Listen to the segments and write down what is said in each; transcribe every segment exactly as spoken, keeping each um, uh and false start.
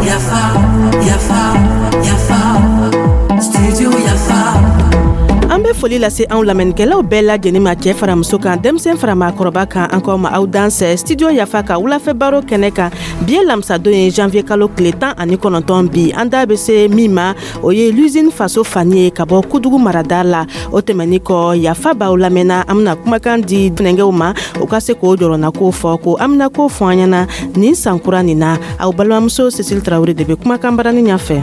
Yafa, Yafa, Yafa, Studio Yafa. An bɛ foli lase anw lamɛnnikɛlaw bɛɛ lajɛlen ma, cɛɛ fara muso kan, denmisɛn fara maakɔrɔba kan. An k'aw ma aw dansɛ Studio Yafa ka wulafɛ baro kɛnɛ kan. Bi ye lamisadon ye, janvier kalo tile tan ani kɔnɔntɔn. Bi an da bɛ se min ma, o ye l'usine Faso Fani ye ka bɔ Kudugu marada la. O tɛmɛni kɔ, Yafa b'aw lamɛnna, an bena kumakan di funɛngɛw ma, u ka se k'o jɔrɔnako fɔ, ko an bena ko fɔ an ɲɛna nin sankura nin na. Aw balimamuso Cécile Tarawele de be kumakan barani ɲafɛ.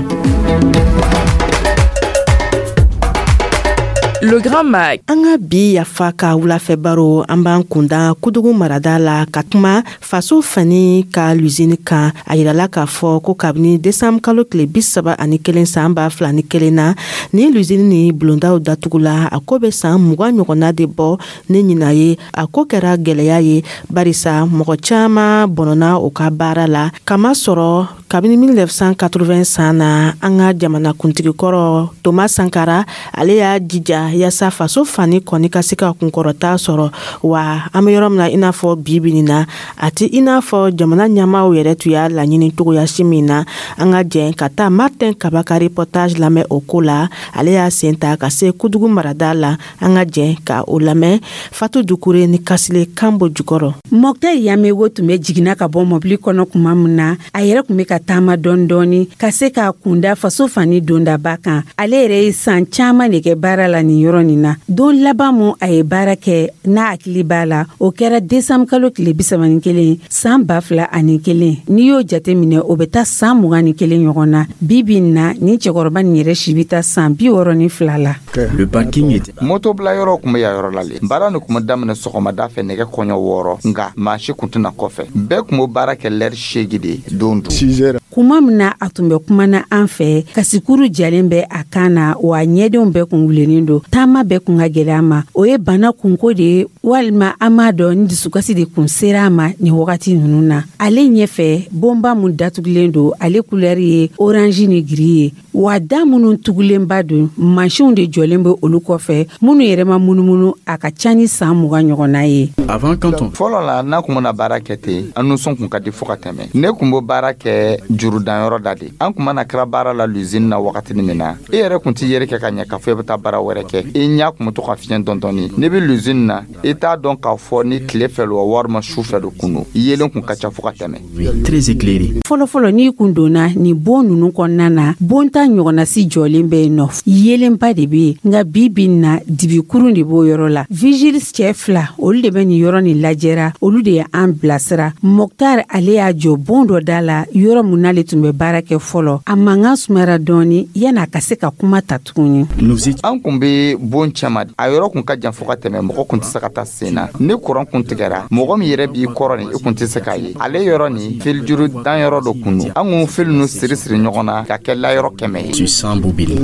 Le Grand Mag. An ka bi Yafa ka wulafɛ baro, an b'an kunda Kudugu marada la ka kuma Faso Fani ka l'usine kan. A yirala k'a fɔ ko kabini desanburu kalo tile bi saba ani kelen san ba fila ni kelen na ni l'usine ni bulondaw datugula, a ko bɛ san mugan ɲɔgɔnna de bɔ ni ɲina ye. A ko kɛra gwɛlɛya ye, barisa mɔgɔ caaman bɔnɔna u ka baara la, kama sɔrɔ kabini mille neuf cent quatre-vingts san na, an ka jamana kuntigikɔrɔ Thomas Sankara, ale y'a jija yaasa Faso Fani kɔni ka se ka kunkɔrɔta sɔrɔ. Wa an be yɔrɔ min na, i n'a fɔ bi bi nin na, a ti i n'a fɔ jamana ɲɛmaw yɛrɛ tun y'a laɲini cogoya si min na. An ka jɛn ka taa Martin Kaba ka reportage lamɛn o ko la. Ale y'a sen ta ka se Kudugu marada la. An ka jɛn ka o lamɛn Fatu Dukure ni Kasile Kanbo jukɔrɔ. Mɔktɛr Yamego tun bɛ jiginna ka bɔ mɔbili kɔnɔ kuma min na, a yɛrɛ tun bɛ ka taama dɔɔni dɔɔni ka se k'a kunda Faso Fani dondaba kan. Ale yɛrɛ ye san caaman de kɛ baara la nin yɔrɔ nin na. Don laban mun a ye baara kɛ, n'a hakili b'a la, o kɛra desanbu kalo tile bisaba ni kelen san ba fila ani kelen. N'i y'o jate minɛ, o bɛ taa san mugan ni kelen ɲɔgɔn na. Bi bi in na, nin cɛkɔrɔba nin yɛrɛ si bɛ taa san bi wɔɔrɔ ni fila la. Le parking était Moto bila yɔrɔ kun bɛ yan yɔrɔ la le. Baara nin kun bɛ daminɛ sɔgɔmada fɛ nɛgɛ kɔɲɔ wɔɔrɔ, nka maa si kun tɛna kɔfɛ. Bɛɛ kun bɛ baara kɛ lɛri seegi de don dun. Kuma min na a tun bɛ kumana an fɛ, kasikuru jalen bɛ a kan na, wa ɲɛdenw bɛɛ kun wulennen don. Taama bɛɛ kun ka gwɛlɛ a ma. O ye bana kunko de ye, walima an m'a dɔn ni dusukasi de kun sera a ma nin wagati nunu na. Ale ɲɛfɛ, bonba mun datugulen don, ale kulɛri ye orange ni gris ye, wa da minnu tugulenba don, mansinw de jɔlen bɛ olu kɔfɛ, minnu yɛrɛ ma munumunu, a ka ca ni san mugan ɲɔgɔnna ye. Avant, quand on Fɔlɔ la, n'a kun mana baara kɛ ten, an nisɔn kun ka di fo ka tɛmɛ. Ne kun bɛ baara kɛ jurudanyɔrɔ da de. An kun mana kɛra baara la l'usine na wagatini min na, e yɛrɛ kun t'i yɛrɛ kɛ ka ɲɛ k'a fɔ i bɛ taa baara wɛrɛ kɛ. I ɲa kun bɛ to ka fiɲɛ dɔɔni. N'i bɛ l'usine na, i t'a dɔn k'a fɔ ni tile fɛ lo wa walima su fɛ do kun don. Yelen kun ka ca fo ka tɛmɛ. Oui, très éclairé. Fɔlɔfɔlɔ, n'i kun donna nin bon nunu kɔnɔna na, bon ta ɲɔgɔnnasi jɔlen bɛ yen nɔ, yeelenba de be yen. Nka bi bi in na, dibikurun de b'o yɔrɔ la. Vigile cɛɛ fila, olu de bɛ nin yɔrɔ nin lajɛra, olu de ye an bilasira. Mɔktar, ale y'a jɔ bon dɔ da la, yɔrɔ mun n'ale tun bɛ baara kɛ fɔlɔ. A mankan sumayara dɔɔni yan'a ka se ka kuma ta tuguni. Nous étions An kun be bon cɛma, a yɔrɔ kun ka jan fo ka tɛmɛ, mɔgɔ kun tɛ se ka taa sen na. Ni kuran kun tigɛra, mɔgɔ min yɛrɛ b'i kɔrɔ nin, i kun tɛ se k'a ye. Ale yɔrɔ nin, fil juru dan yɔrɔ dɔ kun don. An kun fil ninnu siri siri ɲɔgɔn na ka kɛ layɔrɔ kɛmɛ ye. Sur cent bobines.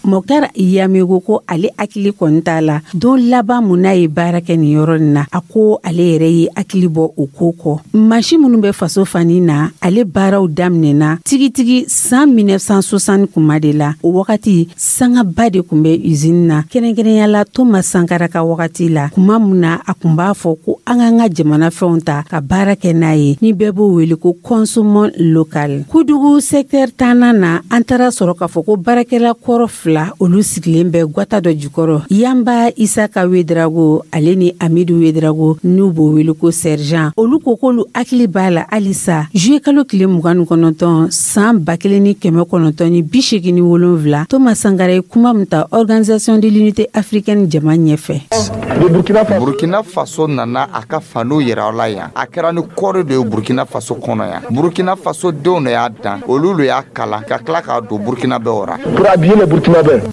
Mɔktar Yamego ko ale hakili kɔni t'a la don laban mun n'a ye baara kɛ nin yɔrɔ nin na. A ko ale yɛrɛ ye hakili bɔ o ko kɔ. Mansi minnu bɛ Faso Fani na, ale baaraw daminɛna tigitigi san mille neuf cent soixante kuma de la. O wagati, sangaba de kun bɛ usine na, kɛrɛnkɛrɛnya la Thomas Sankara ka wagati la, kuma mun na a kun b'a fɔ ko an k'an ka jamana fɛnw ta ka baara kɛ n'a ye, ni bɛɛ b'o wele ko consommons local. Kudugu secteur tannan na, an taara sɔrɔ k'a fɔ ko baarakɛla kɔrɔ fila, olu sigilen bɛ gwata dɔ jukɔrɔ. Yanba Isaka Wedrago, ale ni Amidu Wedrago, n'u b'o wele ko sergent, olu ko k'olu hakili b'a la halisa, juillet kalo tile mugan ni kɔnɔntɔn san ba kelen ni kɛmɛ kɔnɔntɔn ni bi seegin ni wolonfila, Thomas Sankara ye kuma min ta Organisation de l'Unité africaine jama ɲɛfɛ. Burkina Faso nana a ka faniw yira la yan. A kɛra ni kɔɔri de ye Burkina Faso kɔnɔ yan. Burkina Faso denw de y'a dan, olu le y'a kalan ka tila k'a don Burkina bɛɛ ra.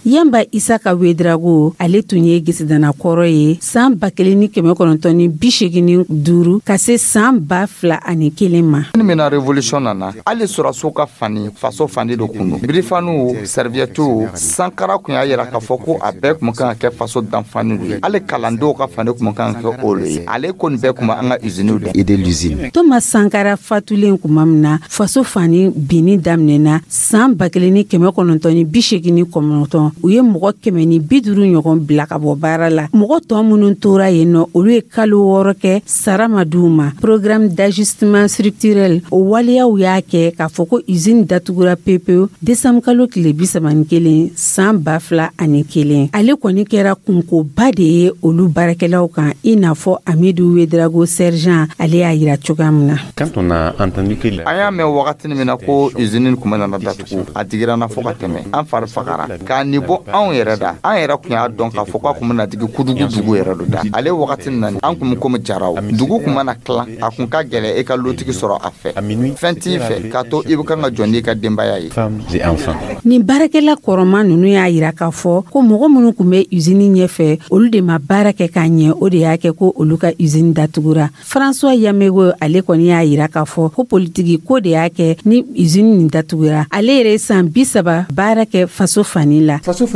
Yanba Isaka Wedrago, ale tun ye gesedana kɔrɔ ye san ba kelen ni kɛmɛ kɔnɔntɔn ni bi seegin ni duuru ka se san ba fila ani kelen ma. Ni min na révolution nana, hali sɔrɔsiw ka fani, faso fani de kun don. Birifaniw, serviettew, Sankara kun y'a yira k'a fɔ ko a bɛɛ kun kan ka kɛ faso danfani de ye. Hali kalandenw ka fani kun kan ka kɛ olu ye. Ale ko nin bɛɛ kun bɛ an ka usiniw dɛ. Aider l'usine. Thomas Sankara fatulen kuma min na, Faso Fani binni daminɛna saan ba kelen ni kɛmɛ kɔnɔntɔn ni bi segin ni kɔnɔntɔn. U ye mɔgɔ kɛmɛ ni bi duuru ɲɔgɔn bila ka bɔ baara la. Mɔgɔ tɔ minnu tora yen nɔ, olu ye kalo wɔɔrɔ kɛ, sara ma d'u ma. Programme d'ajustement structurel, o waleyaw y'a kɛ k'a fɔ ko usine datugura pepewu desanbu kalo tile bi saba ni kelen san ba fila ani kelen. Ale kɔni kɛra kunkoba de ye olu baarakɛlaw kan, i n'a fɔ Amidu Wedrago sergent, ale y'a yira cogoya min na. Quand on a entendu que la An y'a mɛn wagatini min na ko usine kun bɛ nana datugu, a digira na fɔ ka tɛmɛ. An fari fagara k'a nin bɔ anw yɛrɛ da. An yɛrɛ kun y'a dɔn k'a fɔ k'a kun bɛna digi Kudugu dugu yɛrɛ do da. Ale wagati na, an kun bɛ komi jaraw. Dugu kun mana tilan, a kun ka gɛlɛ e ka lotigi sɔrɔ a fɛ. Fɛn t'i fɛ k'a to i bɛ kan ka jɔ n'i ka denbaya ye. Femmes et enfants. Nin baarakɛla kɔrɔma nunu y'a yira k'a fɔ ko mɔgɔ minnu kun bɛ usine ɲɛfɛ, olu de ma baara kɛ k'a ɲɛ, o de y'a kɛ ko olu ka usine datugura. François Yamego, ale kɔni y'a yira k'a fɔ ko politiki ko de y'a kɛ ni usine nin datugura. Ale yɛrɛ ye san bi saba baara kɛ Faso Fani la. Faso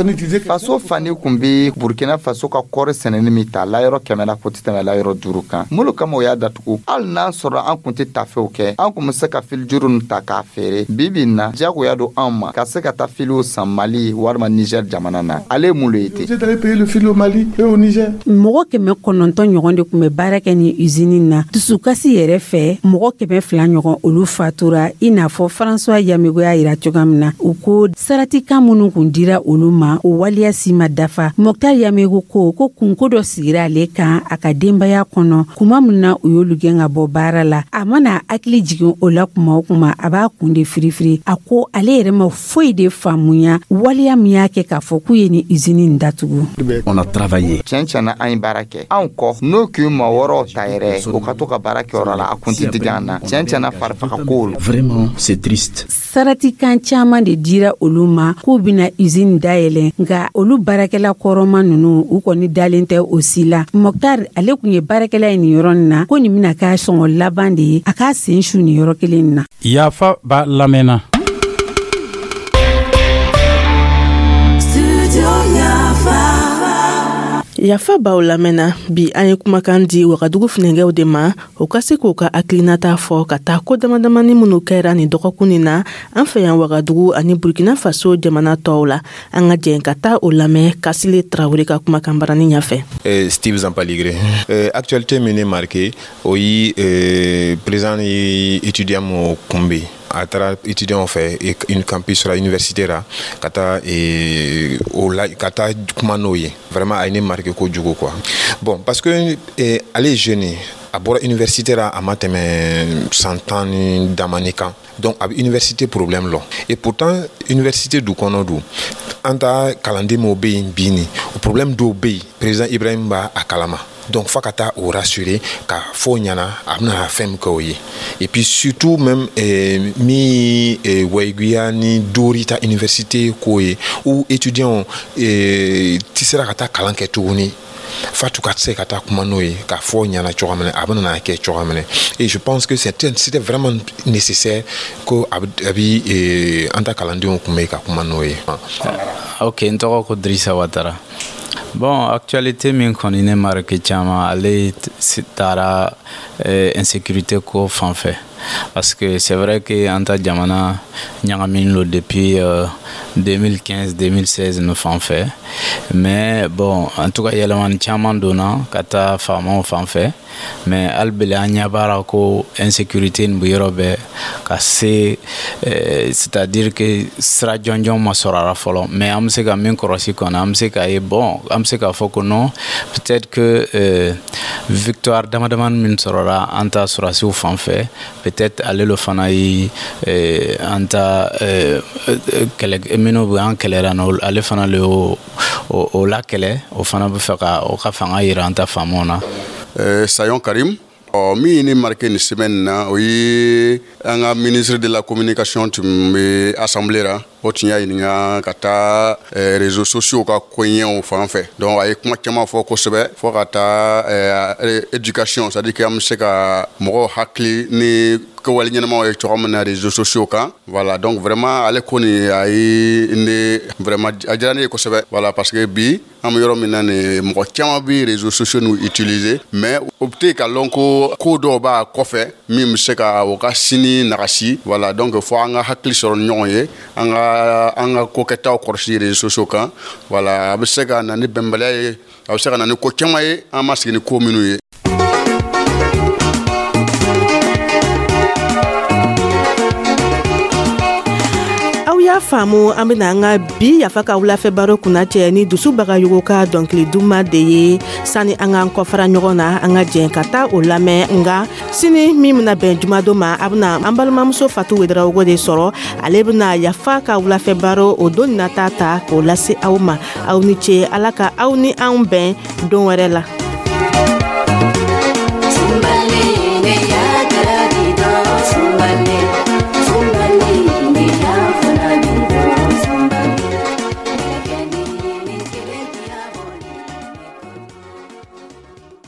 Fani kun be Burkina Faso ka kɔɔri sɛnɛni min ta, layɔrɔ kɛmɛ la, ko tɛ tɛmɛ layɔrɔ duuru kan. Mulu kama o y'a datugu? Hali n'a sɔrɔ an kun tɛ tafew kɛ, an kun be se ka filijuru nin ta k'a feere. Bi bi in na, jagoya don anw ma ka se ka taa filiw san Mali walima Niger jamana na. Ale ye mun lo ye ten? Mɔgɔ kɛmɛ kɔnɔntɔn ɲɔgɔn de tun bɛ baara kɛ ni usine na. Dusukasi yɛrɛ fɛ, mɔgɔ kɛmɛ fila ɲɔgɔn, olu fatura, i n'a fɔ François Yamego y'a yira cogoya min na. U ko saratikan minnu kun dira olu ma, o waleya si ma dafa. Mɔktar Yamego ko ko kunko dɔ sigira ale kan a ka denbaya kɔnɔ kuma min na u y'olu gɛn ka bɔ baara la. A mana hakili jigin o la kuma o kuma, a b'a kun de firifiri. A ko ale yɛrɛ ma foyi de faamuya waleya min y'a kɛ k'a fɔ k'u ye ni usine nin datugu. On a travaillé. Tiɲɛ tiɲɛna, an ye baara kɛ. Anw kɔ n'o k'i ma wɔɔrɔw ta yɛrɛ, o ka to ka baara kɛyɔrɔ la, a kun tɛ digi an na. Tiɲɛ tiɲɛna, farifaga ko. Vraiment, c'est triste. Saratikan caaman de dira olu ma k'u bena usine dayɛlɛ, nka olu baarakɛla kɔrɔma nunu, u kɔni dalen tɛ o si la. Mɔktar, ale kun ye baarakɛla ye nin yɔrɔ nin na, ko nin bena k'a sɔngɔ laban de ye a k'a sen su nin yɔrɔ kelen nin na. Yafa b'a lamɛnna. Studio Yafa. Yafa b'aw lamɛnna. Bi, an ye kumakan di Wagadugu funɛgɛw de ma, o ka se k'u ka hakilinata fɔ ka taa ko damadamani minnu kɛra nin dɔgɔkun nin na an fɛ yan Wagadugu ani Burkina Faso jamana tɔw la. An ka jɛn ka taa o lamɛn Kasile Tarawele ka kumakan barani ɲɛfɛ. Eh, Steve Zampaligre. Euh, actualité min ne marqué, o ye euh, président ye étudiant mo kunbɛn. A taara étudiant fɛ une campus la, université la, ka taa eh, o la, ka taa kuma n'o ye. Vraiment, a ye ne marqué kojugu quoi. Bon, parce que eh, ale ye jeune ye, a bɔra université la, a ma tɛmɛ san tan ni damani kan. Donc a bɛ université problème lɔ. Et pourtant université du kɔnɔ du, an ta kalanden minw bɛ yen bi, nin o problème dɔw bɛ yen, président Ibrahim b'a a kalama. Donc f'a ka taa o rassurer ka fɔ o ɲɛna a bɛna fɛn min kɛ o ye. Et puis surtout même eh, min eh, Wayiguya ni Dori ta université ko ye, ou étudiants eh, ti sera ka taa kalan kɛ tuguni. Fatou ka se ka taa kuma n'o ye k'a fɔ ɲɛna cogoya min na, a bɛna kɛ cogoya min na. Et je pense que c'était c'était vraiment nécessaire ko a bɛ a bɛ eh, an ta kalandenw kun bɛ ka kuma n'o ye. Ok, n tɔgɔ ko Drissa Watara. Bon, actualité min kɔni ne marqué caman, ale taara eh, insécurité ko fan fɛ, parce que c'est vrai que an ta jamana ɲagaminen lo depuis euh, deux mille quinze deux mille seize no fan fɛ. Mais bon, en tout cas yɛlɛmani caman donna ka taa faamaw fan fɛ, mais hali bele an ɲɛ b'a la ko insécurité nin bɛ yɔrɔ bɛɛ ka se, eh, c'est à dire que sira jɔnjɔn ma sɔrɔ a la fɔlɔ. Mais an bɛ se ka min kɔlɔsi kɔni, an bɛ se k'a ye, bon, an bɛ se k'a fɔ ko non, peut-être que euh, victoire dama damani min sɔrɔla an ta sɔrɔdasiw fan fɛ, peut-être ale lo fana ye eh, an ta eh, kɛlɛ minnu bɛ an kɛlɛra na, ale fana le y'o o, o la kɛlɛ, o fana bɛ fɛ ka o ka fanga yira an ta faamaw na. Euh, Sayon Karim. Ɔ, min ye ne marqué nin semaine na, o ye an ka ministre de la Communication tun bɛ assemblée la. O tun y'a ɲininka ka taa eh, réseaux sociaux ka koɲɛw fan fɛ. Donc a ye kuma caman fɔ kosɛbɛ, fo ka taa eh, éducation, c'est à dire que an bɛ se ka mɔgɔw hakili ni kɛwale ɲɛnamaw ye cogo min na réseaux sociaux kan. Voilà, donc vraiment ale ko nin, a ye ne vraiment, a diyara ne ye kosɛbɛ. Voilà, parce que bi an bɛ yɔrɔ min na nin, mɔgɔ caman bɛ réseaux sociaux n'u utiliser, mais o tɛ ka lɔn ko ko dɔw b'a kɔfɛ min bɛ se ka o ka sini nagasi. Voilà, donc fo an ka hakili sɔrɔ ni ɲɔgɔn ye, an ka an ka kokɛtaw kɔlɔsi réseaux sociaux kan. Voilà, a bɛ se ka na ni bɛnbaliya ye, a bɛ se ka na ni ko caman ye an ma sigi ni ko minnu ye. Aw y'a faamu, an bena an ka bi Yafa ka wulafɛ baro kunnacɛ ni Dusu Bagayogo ka dɔnkili duma de ye. Sani an k'an kɔfara ɲɔgɔn na, an ka jɛn ka taa o lamɛn. Nga sini min bena bɛn jumadon ma, a bena an balimamuso Fatu Wedarawogo de sɔrɔ. Ale bena Yafa ka wulafɛ baro o don nata ta k'o lase aw ma. Aw ni ce, Ala ka aw ni anw bɛn don wɛrɛ la.